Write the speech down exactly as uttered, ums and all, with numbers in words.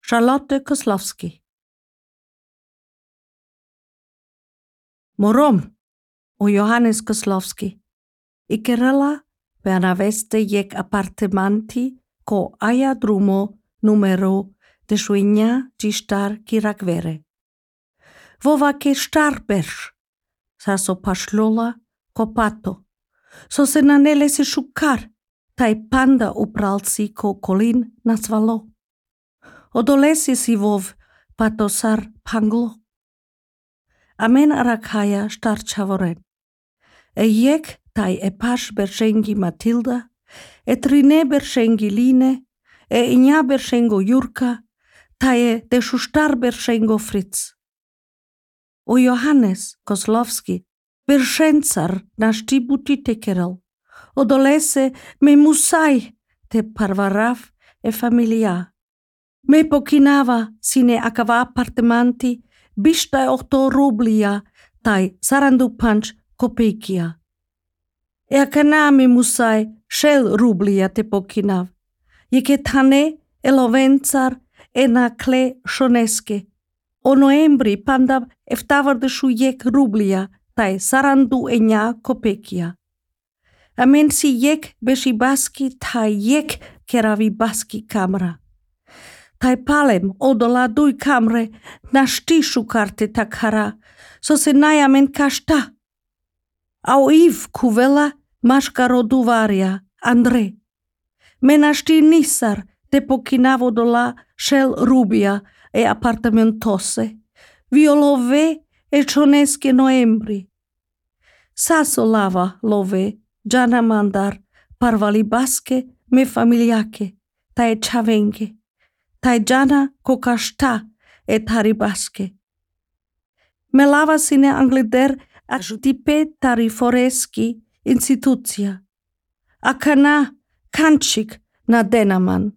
Charlotte Koslowski. Morom u Johannes Koslowski. Ikerela per aveste jek appartementi ko aia drumo numero de suigna di star kirakvere. Vova ke star berš, sa so pašlola ko pato, so se nanele se šukar, taj panda upralci ko kolin nasvalo. Odolesi si vov patosar panglo. Amen arakaya star čavoren. E jek taj e paš beršengi Matilda, e trine beršengi Line, e inja beršengo Jurka, taj e de šuštar beršengo Fritz. U Johannes Koslowski beršencar naš ti buti tekerel. Odolese me musaj te parvarav e familia. Me pokinava sine akava appartementi bishtai ohto rublia tai sarandu panch kopeikia. E akana me musai shel rublia te pokinav. Jeke tane elovencar e na kle shoneske. O noembri panda eftavar de shujek rublia tai sarandu e nja kopeikia. Amen si jek beshi baski tai jek keravi baski kamra. Tai palem odola dui kamre na štišu karte takhara, so se najamen kashta. Au iv kuvela maškaro duvaria, Andre. Mena šti nisar te pokinavo dola šel rubia e apartamentose, violove e čoneske noembri. Saso lava love, džana mandar, parvali baske me familiake, ta e čavenge. Tai jana kokashta e taribaske. Me lava sine anglider ajutipe tariforeski institucija. Akana kančik na denaman.